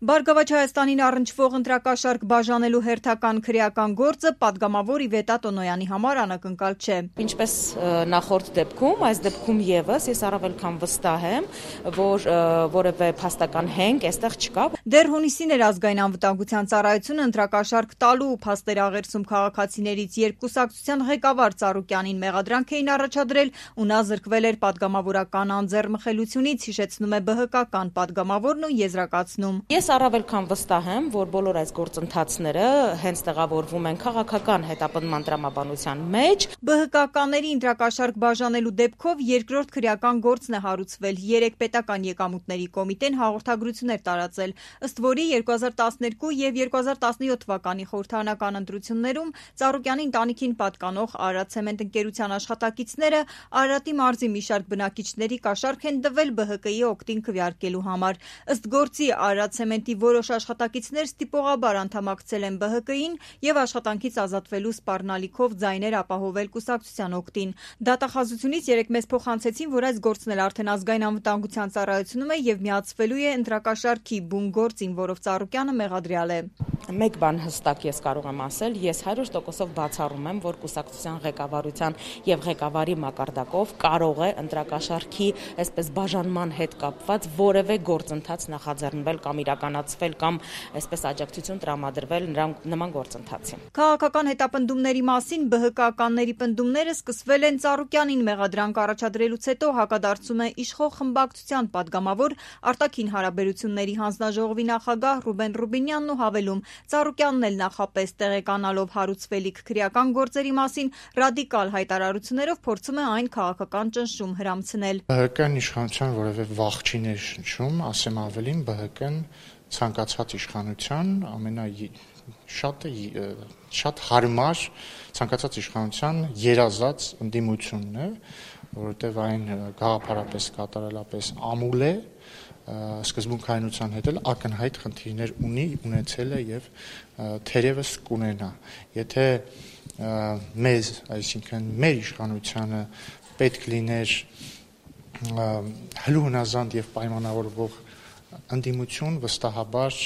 Բարգավաճ Հայաստանին առնչվող ընտրակաշառք բաժանելու հերթական քրեական գործը պատգամավոր Իվետա Տոնոյանի համար անակնկալ չէ։ Ինչպես նախորդ դեպքում, այս դեպքում եւս ես առավել քան վստահ եմ, որ որևէ փաստական հենք այստեղ չկա։ Դեռ հունիսին էր ազգային անվտանգության ծառայությունը ընտրակաշառք տալու փաստեր աղերսում քաղաքացիներից, երբ կուսակցության ղեկավար Ծառուկյանին մեղադրանք էին առաջադրել ու նա զրկվել էր պատգամավորական անձեռմխելությունից, հիշեցնում է ԲՀԿ-ական պատգամավորն ու եզրակացնում. Ես առավել քան վստահ եմ, որ բոլոր այս գործընթացները հենց տեղավորվում են քաղաքական հետապնդման տրամաբանության մեջ։ ԲՀԿ-ականների ընտրակաշառք բաժանելու դեպքով երկրորդ քրեական գործն է հարուցվել։ 3 պետական եկամուտների կոմիտեն հաղորդագրություններ տարածել, ըստ որի 2012 եւ 2017 թվականի խորհրդարանական ընտրություններում Ծառուկյանի ընտանիքին պատկանող Արարատ ցեմենտ ընկերության աշխատակիցները Արարատի մարզի մի շարք բնակիչների կաշառք են տվել ԲՀԿ-ի օգտին քվեարկելու համար։ Ըստ գործի Արարատ ցեմենտի որոշ աշխատակիցներ ստիպողաբար անդամակցել են ԲՀԿ-ին եւ աշխատանքից ազատվելու սպառնալիքով ձայներ ապահովել կուսակցության օգտին։ Դատախազությունից 3 մեզ փոխանցեցին, որ այս գործն էլ արդեն ազգային անվտանգության ծառայությունում է եւ միացվելու է ընտրակաշառքի բուն գործին, որով Ծառուկյանը մեղադրյալ է։ Մեկ բան հստակ ես կարող եմ ասել, ես 100%-ով բացառում եմ, որ կուսակցության ղեկավարության եւ ղեկավարի մակարդակով կարող է ընտրակաշառքի այսպես բաժանման հետ կապված որևէ գործընթաց նախաձեռնվել կամ իրականացվել կամ այսպես աջակցություն տրամադրվել նման գործընթացին։ Քաղաքական հետապնդումների մասին ԲՀԿ-ականների պնդումները սկսվել են Ծառուկյանին մեղադրանք առաջադրելուց հետո, հակադարձում է իշխող խմբակցության պատգամավոր արտաքին հարաբերությունների հանձնաժողովի նախագահ Ռուբեն Ռուբինյանն ու հավելում. Ծառուկյանն էլ նախապես տեղեկանալով հարուցվելիք քրեական գործերի մասին ռադիկալ հայտարարություններով փորձում է այն քաղաքական ճնշում հրամցնել։ ԲՀԿ-ն իշխանության որևէ վախ չի ներշնչում, ասեմ ավելին, ԲՀԿ-ն ցանկացած իշխանության շատ հարմար ցանկացած իշխանության երազած ընդդիմությունն է, որովհետև այն գաղափարապես կատարելապես ամուլ է, սկզբունքայնության հետ էլ ակնհայտ խնդիրներ ունեցել է եւ թերևս կունենա։ Եթե մեզ, այսինքն մեր իշխանությանը պետք լիներ հլուհնազանդ եւ պայմանավորվող ընդդիմություն, վստահաբար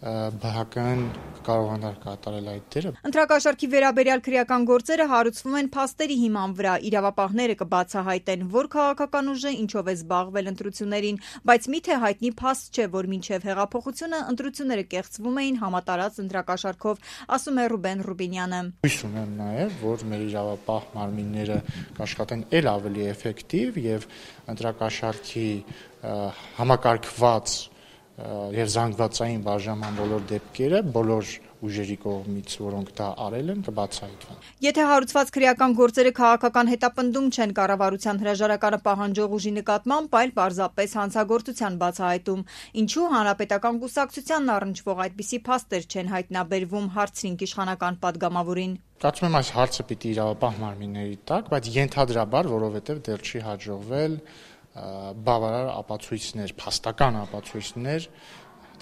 ԲՀԿ-ն կարողանար կատարել այդ դերը։ Ընտրակաշառքի վերաբերյալ քրեական գործերը հարուցվում են փաստերի հիման վրա։ Իրավապահները կբացահայտեն, որ քաղաքական ուժը ինչով է զբաղվել ընտրություններին, բայց միթե հայտնի փաստ չէ, որ մինչև հեղափոխությունը ընտրությունները կեղծվում էին համատարած ընտրակաշառքով, ասում է Ռուբեն Ռուբինյանը։ Հույս ունեմ նաև, որ մեր իրավապահ մարմինները կաշխատեն ել ավելի էֆեկտիվ եւ ընտրակաշառքի համակարգված եւ զանգվածային բաժանման բոլոր դեպքերը բոլոր ուժերի կողմից, որոնք դա արել են, կբացահայտվեն։ Եթե հարուցված քրեական գործերը քաղաքական հետապնդում չեն կառավարության հրաժարականը պահանջող ուժի նկատմամբ, այլ պարզապես հանցագործության բացահայտում, ինչու հանրապետական կուսակցությանն առնչվող այդպիսի փաստեր չեն հայտնաբերվում, հարցրինք իշխանական պատգամավորին։ Կարծում եմ այս հարցը պիտի իրավապահ մարմինների տակ, բայց ենթադրաբար, որովհետեւ դեռ չի հաջողվել բավարար ապացույցներ, փաստական ապացույցներ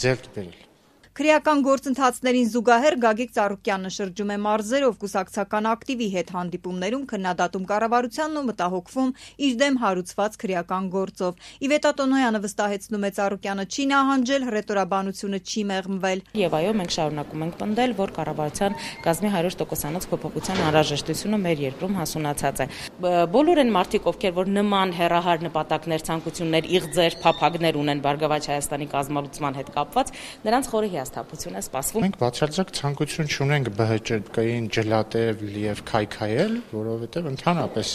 ձեռք բերել։ Քրեական գործընթացներին զուգահեռ Գագիկ Ծառուկյանը շրջում է մարզերով կուսակցական ակտիվի հետ հանդիպումներում քննադատում կառավարությանն ու մտահոգվում իր դեմ հարուցված քրեական գործով։ Իվետա Տոնոյանը վստահեցնում է Ծառուկյանը չի նահանջել, հռետորաբանությունը չի մեղմվել։ Եվ այո, մենք շարունակում ենք պնդել, որ կառավարության կազմի 100%-անոց փոփոխության անհրաժեշտությունը մեր երկրում հասունացած է։ Բոլոր այն մարդիկ, ովքեր որ նման հեռահար նպատակներ, ցանկություններ, իղձեր, փափագներ ունեն Բարգավաճ Հայաստանի կազմալուծման հետ կապված, նրանց խորը հիասթափություն է սպասվում։ Մենք բացարձակ ցանկություն չունենք ԲՀԿ-ին ջլատել եւ քայքայել, որովհետեւ ընդհանրապես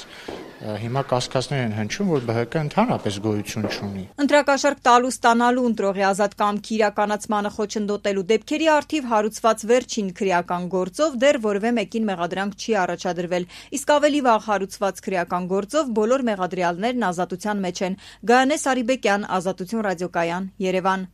հիմա կասկածներ են հնչում, որ ԲՀԿ ընդհանրապես գոյություն չունի։ Ընտրակաշառք տալու ստանալու ընտրողի ազատ կամքի իրականացմանը խոչընդոտելու դեպքերի առթիվ հարուցված վերջին քրեական գործով դեռ որևէ մեկին մեղադրանք չի առաջադրվել, իսկ ավելի վաղ հարուցված քրեական գործով բոլոր մեղադրյալներն ազատության մեջ են։ Գայանե Սարիբեկյան, Ազատություն ռադիոկայան, Երևան։